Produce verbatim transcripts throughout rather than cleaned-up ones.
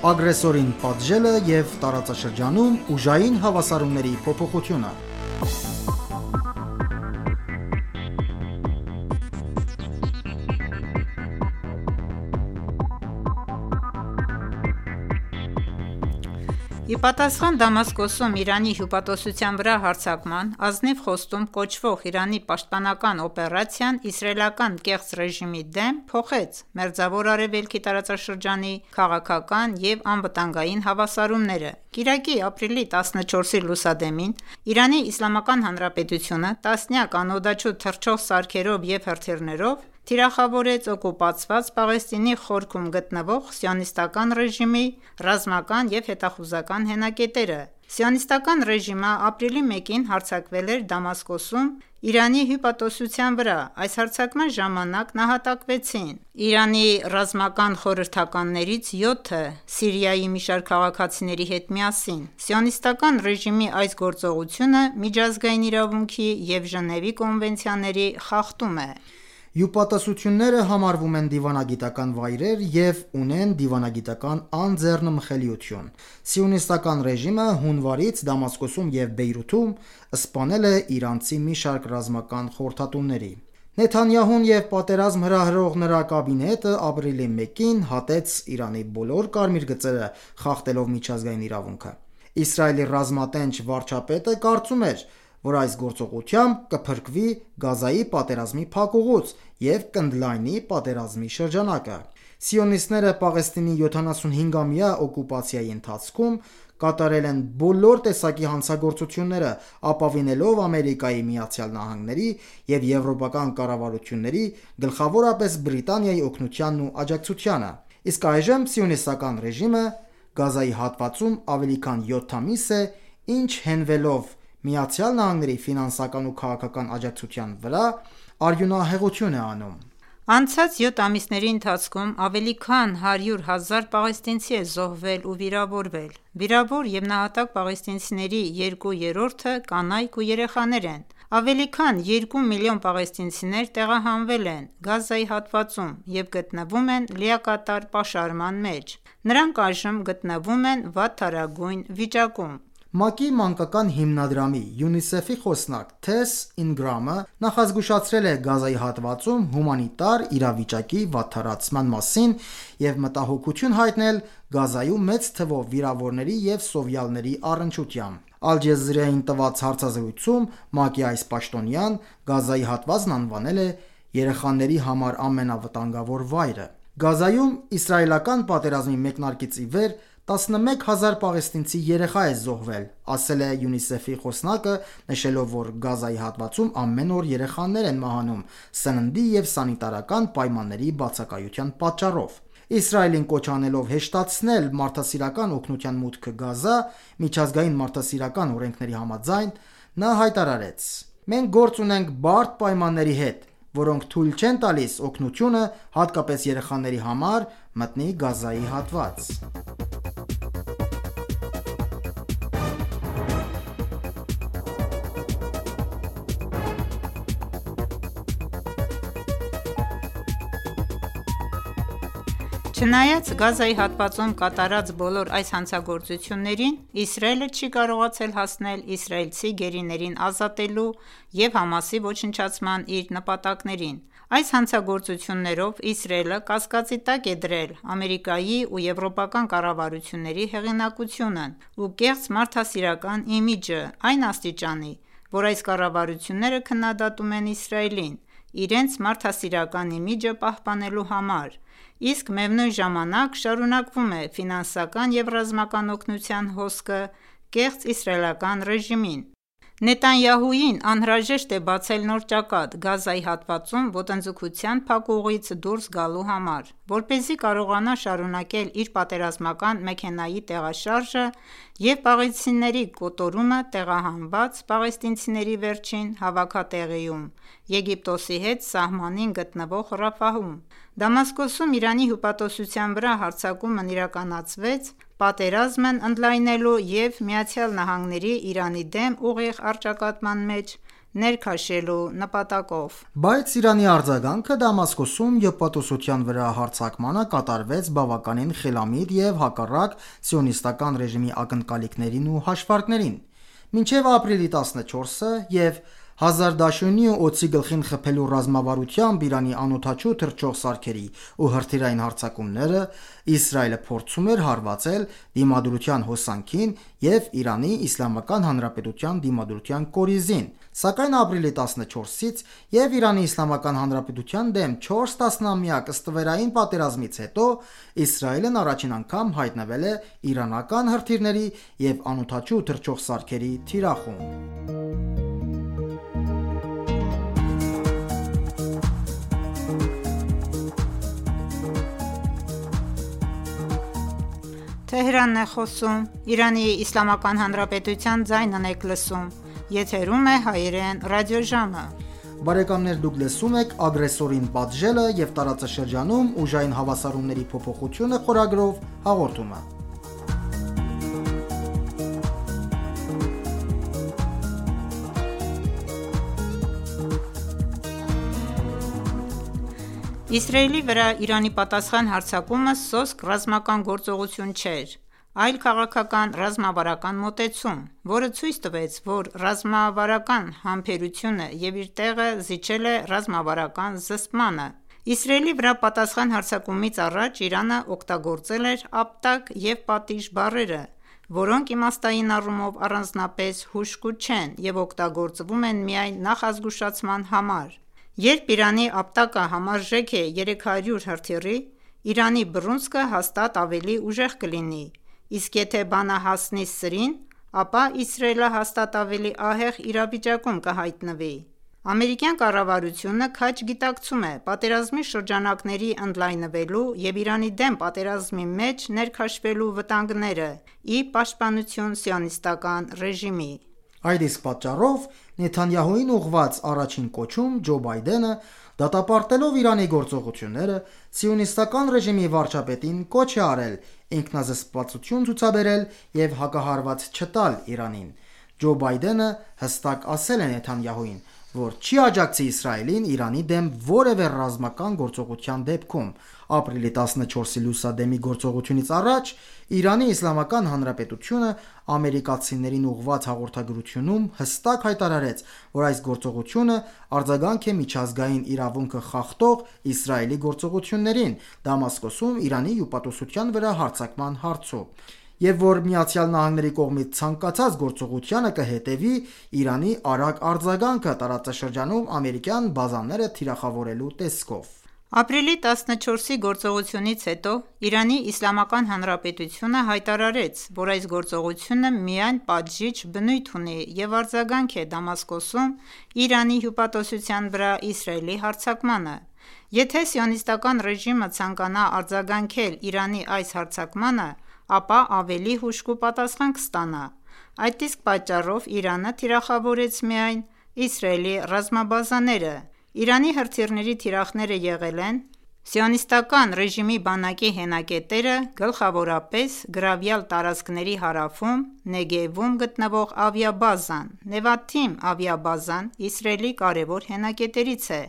ագրեսորին պատժելը և տարածաշրջանում ուժային հավասարումների փոփոխությունը։ Ի պատասխան Դամասկոսում Իրանի հյուպատոսության վրա հարձակման, ազնիվ խոստում կոչվող Իրանի պաշտպանական օպերացիան իսրայելական կեղծ ռեժիմի դեմ փոխեց Մերձավոր Արևելքի տարածաշրջանի քաղաքական և անվտանգային հավասարումները։ Կիրակի, ապրիլի տասնչորսի լուսադեմին Իրանի Իսլամական Հանրապետությունը տասնյակ անօդաչու թռչող սարքերով և հրթիռներով թիրախավորեց օկուպացված Պաղեստինի խորքում գտնվող Սիոնիստական ռեժիմի ռազմական և հետախուզական հենակետերը։ Սիոնիստական ռեժիմը ապրիլի մեկին հարձակվել էր Դամասկոսում Իրանի հյուպատոսության վրա։ Այս հարձակման ժամանակ նահատակվեցին Իրանի ռազմական խորհրդականներից յոթը Սիրիայի մի շարք քաղաքացիների հետ միասին։ Սիոնիստական ռեժիմի այս գործողությունը միջազգային իրավունքի և Ժնևի կոնվենցիաների խախտում է։ Հյուպատոսությունները համարվում են դիվանագիտական վայրեր և ունեն դիվանագիտական անձեռնմխելիություն։ Սիոնիստական ռեժիմը հունվարից Դամասկոսում և Բեյրութում սպանել է իրանցի մի շարք ռազմական խորհրդատուների։ Նեթանյահուն և պատերազմ հրահրող նրա կաբինետը ապրիլի մեկին հատեց Իրանի բոլոր կարմիր գծերը, խախտելով միջազգային իրավունքը։ Իսրայելի ռազմատենչ վարչապետը կարծում էր, որ այս գործողությամբ կփրկվի Գազայի պատերազմի փակուղուց և կընդլայնի պատերազմի շրջանակը։ Սիոնիստները Պաղեստինի յոթանասունհինգամյա օկուպացիայի ընթացքում կատարել են բոլոր տեսակի հանցագործությունները՝ ապավինելով Ամերիկայի Միացյալ Նահանգների և եվրոպական կառավարությունների, գլխավորապես Բրիտանիայի օգնությանն ու աջակցությանը։ Իսկ այժմ Սիոնիստական ռեժիմը Գազայի հատվածում ավելի քան յոթ ամիս է, ինչ հենվելով ԱՄՆ-ի ֆինանսական ու քաղաքական աջակցության վրա, արյունահեղություն է անում։ Անցած յոթ ամիսների ընթացքում ավելի քան հարյուր հազար պաղեստինցի է զոհվել ու վիրավորվել։ Վիրավոր և նահատակ պաղեստինցիների երկու երրորդը կանայք ու երեխաներ են։ Ավելի քան երկու միլիոն պաղեստինցիներ տեղահանվել են Գազայի հատվածում և գտնվում են լիակատար պաշարման մեջ։ Նրանք այժմ գտնվում են վատթարագույն վիճակում։ ՄԱԿ-ի մանկական հիմնադրամի ՅՈՒՆԻՍԵՖ-ի խոսնակ Թես Ինգրամը նախազգուշացրել է Գազայի հատվածում հումանիտար իրավիճակի վատթարացման մասին և մտահոգություն հայտնել Գազայում մեծ թվով վիրավորների և սովյալների առնչությամբ։ Ալ Ջազիրային տված հարցազրույցում ՄԱԿ-ի այս պաշտոնյան Գազայի հատվածն անվանել է երեխաների համար ամենավտանգավոր վայրը։ Գազայում իսրայելական պատերազմի մեկնարկից ի վեր տասնմեկ հազար պաղեստինցի երեխա է զոհվել, ասել է ՅՈՒՆԻՍԵՖ-ի խոսնակը, նշելով, որ Գազայի հատվածում ամեն օր երեխաներ են մահանում սննդի և սանիտարական պայմանների բացակայության պատճառով։ Իսրայելին կոչ անելով հեշտացնել մարդասիրական օգնության մուտքը Գազա՝ միջազգային մարդասիրական օրենքների համաձայն, նա հայտարարեց. «Մենք գործ ունենք բարդ պայմանների հետ, որոնք թույլ չեն տալիս օգնությունը, հատկապես երեխաների համար, մտնի Գազայի հատված»։ Չնայած Գազայի հատվածում կատարած բոլոր այս հանցագործություններին, Իսրայելը չի կարողացել հասնել իսրայելցի գերիներին ազատելու և Համասի ոչնչացման իր նպատակներին։ Այս հանցագործություններով Իսրայելը կասկածի տակ է դրել Ամերիկայի ու եվրոպական կառավարությունների հեղինակությունն ու կեղծ մարդասիրական իմիջը այն աստիճանի, որ այս կառավարությունները քննադատում են Իսրայելին՝ իրենց մարդասիրական իմիջը պահպանելու համար, իսկ միևնույն ժամանակ շարունակվում է ֆինանսական և ռազմական օգնության հոսքը կեղծ իսրայելական ռեժիմին։ Նեթանյահուին անհրաժեշտ է բացել նոր ճակատ Գազայի հատվածում ոտնձգության փակուղից դուրս գալու համար, որպեսզի կարողանա շարունակել իր պատերազմական մեքենայի տեղաշարժը և պաղեստինցիների կոտորումը տեղահանված պաղեստինցիների վերջին հավաքատեղիում՝ Եգիպտոսի հետ սահմանին գտնվող Ռաֆահում։ Դամասկոսում Իրանի հյուպատոսության վրա հարձակումն իրականացվեց պատերազմն ընդլայնելու և ԱՄՆ-ի Իրանի դեմ ուղիղ առճակատման մեջ ներքաշելու նպատակով։ Բայց Իրանի արձագանքը Դամասկոսում եպատոսության վրա հարձակմանը կատարվեց բավականին խելամիտ և հակառակ սիոնիստական ռեժիմի ակնկալիքներին ու հաշվարկներին։ Մինչև ապրիլի տասնչորսը և հազար դաշույնի ու օձի գլխին խփելու ռազմավարությամբ Իրանի անօդաչու թռչող սարքերի ու հրթիռային հարձակումները, Իսրայելը փորձում էր հարվածել Դիմադրության հոսանքին և Իրանի Իսլամական Հանրապետության դիմադրության կորիզին, սակայն ապրիլի տասնչորսից և Իրանի Իսլամական Հանրապետության դեմ չորս տասնամյակ ստվերային պատերազմից հետո Իսրայելն առաջին անգամ հայտնվել է իրանական հրթիռների և անօդաչու թռչող սարքերի թիրախում։ Իսրայելի վրա Իրանի պատասխան հարձակումը սոսկ ռազմական գործողություն չէր, այլ քաղաքական ռազմավարական մոտեցում, որը ցույց տվեց, որ ռազմավարական համբերությունը և իր տեղը զիջել է ռազմավարական զսպմանը։ Իսրայելի վրա պատասխան հարձակումից առաջ Իրանը օգտագործել էր ապտակ և պատիժ բառերը, որոնք իմաստային առումով առանձնապես հուժկու չեն և օգտագործվում են միայն նախազգուշացման համար։ Երբ Իրանի ապտակը համարժեք է երեք հարյուր հրթիռի, Իրանի բռունցքը հաստատ ավելի ուժեղ կլինի, իսկ եթե բանը հասնի սրին, ապա Իսրայելը հաստատ ավելի ահեղ իրավիճակում կհայտնվի։ Ամերիկյան կառավարությունը քաջ գիտակցում է պատերազմի շրջանակների ընդլայնվելու և Իրանի դեմ պատերազմի մեջ ներքաշվելու վտանգները՝ ի պաշտպանություն սիոնիստական ռեժիմի։ Այդ իսկ պատճառով Նեթանյահուին ուղղված առաջին կոչում Ջո Բայդենը, դատապարտելով Իրանի գործողությունները, սիոնիստական ռեժիմի վարչապետին կոչ է արել ինքնազսպվածություն ցուցաբերել և հակահարված չտալ Իրանին։ Ջո Բայդենը հստակ ասել է Նեթանյահուին, որ չի աջակցի Իսրայելին Իրանի դեմ որևէ ռազմական գործողության դեպքում։ Ապրիլի տասնչորսի լուսադեմի գործողությունից առաջ Իրանի Իսլամական Հանրապետությունը ամերիկացիներին ուղղված հաղորդագրությունում հստակ հայտարարեց, որ այս գործողությունը արձագանք է միջազգային իրավունքը խախտող Իսրայելի գործողություններին Դամասկոսում Իրանի հյուպատոսության վրա հարձակման հարցում, և որ ԱՄՆ-ի կողմից ցանկացած գործողությանը կհետևի Իրանի արագ արձագանքը տարածաշրջանում ամերիկյան բազաները թիրախավորելու տեսքով։ Ապրիլի տասնչորսի գործողությունից հետո Իրանի Իսլամական Հանրապետությունը հայտարարեց, որ այս գործողությունը միայն պատժիչ բնույթ ունի և արձագանք է Դամասկոսում Իրանի հյուպատոսության վրա Իսրայելի հարձակմանը։ Եթե սիոնիստական ռեժիմը ցանկանա արձագանքել Իրանի այս հարձակմանը, ապա ավելի հուժկու պատասխան կստանա։ Այդ իսկ պատճառով Իրանը թիրախավորեց միայն Իսրայելի ռազմաբազաները։ Իրանի հրթիռների թիրախները եղել են Սիոնիստական ռեժիմի բանակի հենակետերը, գլխավորապես գրավյալ տարածքների հարավում Նեգևում գտնվող ավիաբազան։ Նեվաթիմ ավիաբազան Իսրայելի կարևոր հենակետերից է,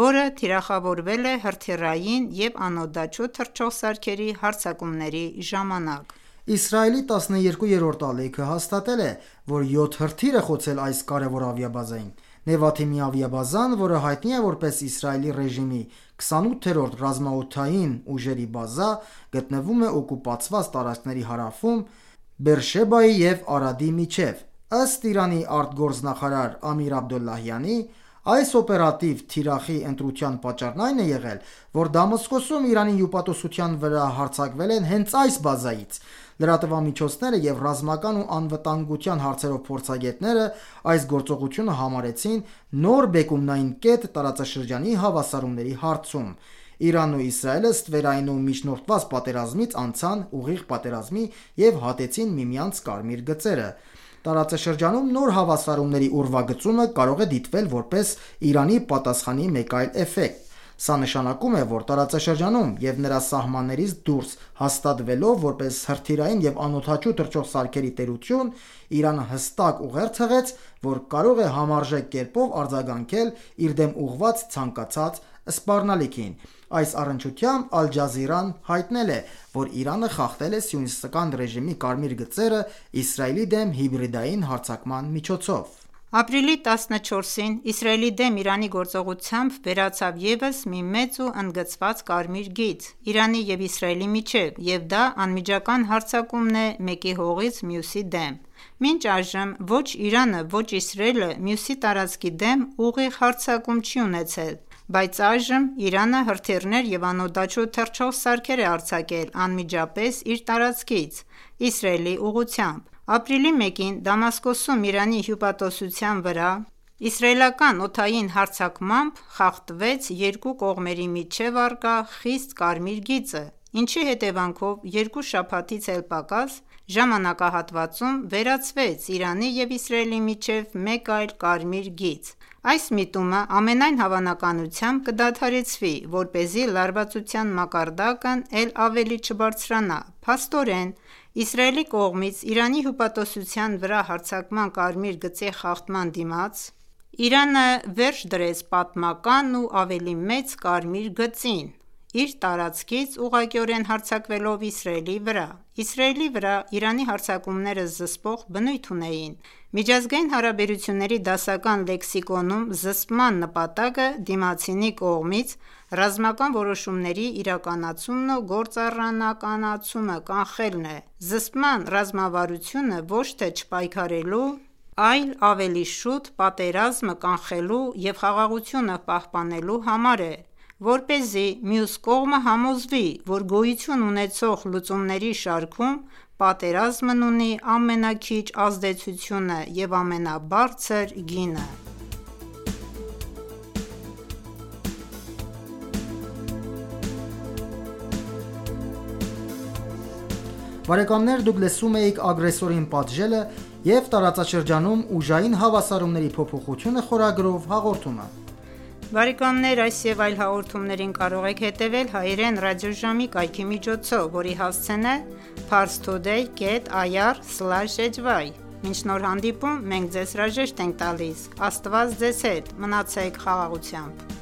որը թիրախավորվել է հրթիռային և անօդաչու թռչող սարքերի հարձակումների ժամանակ։ Իսրայելի տասներկուերորդ ալիքը հաստատել է, որ յոթ հրթիռ է խոցել այս կարևոր ավիաբազային։ Նեվաթիմի ավիաբազան, որը հայտնի է որպես Իսրայելի ռեժիմի քսանութերորդ ռազմաօդային ուժերի բազա, գտնվում է օկուպացված տարածքների հարավում Բերշեբայի և Արադի միջև։ Ըստ Իրանի արտգործնախարար Ամիր Աբդոլլահյանի, այս օպերատիվ թիրախի ընտրության պատճառն այն է եղել, որ Դամասկոսում Իրանի հյուպատոսության վրա հարձակվել են հենց այս բազայից։ Լրատվամիջոցները և ռազմական ու անվտանգության հարցերով փորձագետները այս գործողությունը համարեցին նոր բեկումնային կետ տարածաշրջանի հավասարումների հարցում։ Իրանն ու Իսրայելը ստվերային ու միջնորդված պատերազմից անցան ուղիղ պատերազմի և հատեցին միմյանց կարմիր գծերը։ Տարածաշրջանում նոր հավասարումների ուրվագծումը կարող է դիտվել որպես Իրանի պատասխանի մեկ այլ էֆեկտ։ Սա նշանակում է, որ տարածաշրջանում և նրա սահմաններից դուրս հաստատվելով որպես հրթիռային և անօդաչու թռչող սարքերի տերություն, Իրանը հստակ ուղերձ հղեց, որ կարող է համարժեք կերպով արձագանքել իր դեմ ուղղված ցանկացած սպառնալիքին: Այս առնչությամբ Ալ Ջազիրան հայտնել է, որ Իրանը խախտել է Սիոնիստական ռեժիմի կարմիր գծերը Իսրայելի դեմ հիբրիդային հարձակման միջոցով: Ապրիլի տասնչորսին Իսրայելի դեմ Իրանի գործողությամբ վերացավ ևս մի մեծ ու ընդգծված կարմիր գիծ Իրանի և Իսրայելի միջև և դա անմիջական հարձակումն է մեկի հողից մյուսի դեմ: Մինչ այժմ ոչ Իրանը, ոչ Իսրայելը մյուսի տարածքի դեմ ուղիղ հարձակում չի ունեցել, բայց այժմ Իրանը հրթիռներ և անօդաչու թռչող սարքեր է արձակել անմիջապես իր տարածքից Իսրայելի ուղղությամբ: Ապրիլի մեկին Դամասկոսում Իրանի հյուպատոսության վրա իսրայելական օդային հարձակմամբ խախտվեց երկու կողմերի միջև առկա խիստ կարմիր գիծը, ինչի հետևանքով երկու շաբաթից էլ պակաս ժամանակահատվածում վերացվեց Իրանի և Իսրայելի միջև մեկ այլ կարմիր գիծ: Այս միտումը ամենայն հավանականությամբ կդադարեցվի, որպեսզի լարվածության մակարդակն էլ ավելի չբարձրանա: Փաստորեն, Իսրայելի կողմից Իրանի հյուպատոսության վրա հարձակման կարմիր գծի խախտման դիմաց, Իրանը վերջ դրեց պատմական ու ավելի մեծ կարմիր գծին, իր տարածքից ուղղակիորեն հարձակվելով Իսրայելի վրա: Իսրայելի վրա Իրանի հարձակումները զսպող բնույթ ունեին: Միջազգային հարաբերությունների դասական լեքսիկոնում զսպման նպատակը դիմացինի կողմից ռազմական որոշումների իրականացումն ու գործառնականացումը կանխելն է: Զսպման ռազմավարությունը ոչ թե չպայքարելու, այլ ավելի շուտ պատերազմը կանխելու և խաղաղությունը պահպանելու համար է, որպեսզի մյուս կողմը համոզվի, որ գոյություն ունեցող լուծումների շարքում պատերազմն ունի ամենաքիչ ազդեցությունը և ամենաբարձր գինը: Բարեկամներ դուք լսում էիք «Ագրեսորին պատժելը» և «Տարածաշրջանում ուժային հավասարումների փոփոխությունը» խորագրով հաղորդումը: Բարեկամներ այս և այլ հաղորդումներին կարող եք հետևել հայերեն ռադիոժամի կայքի միջոցով, որի հասցեն է parstoday կետ ir slash hy: Մինչ նոր հանդիպում մենք ձեզ հրաժեշտ ենք տալիս: Աստված ձեզ հետ: Մնացեք խաղաղությամբ: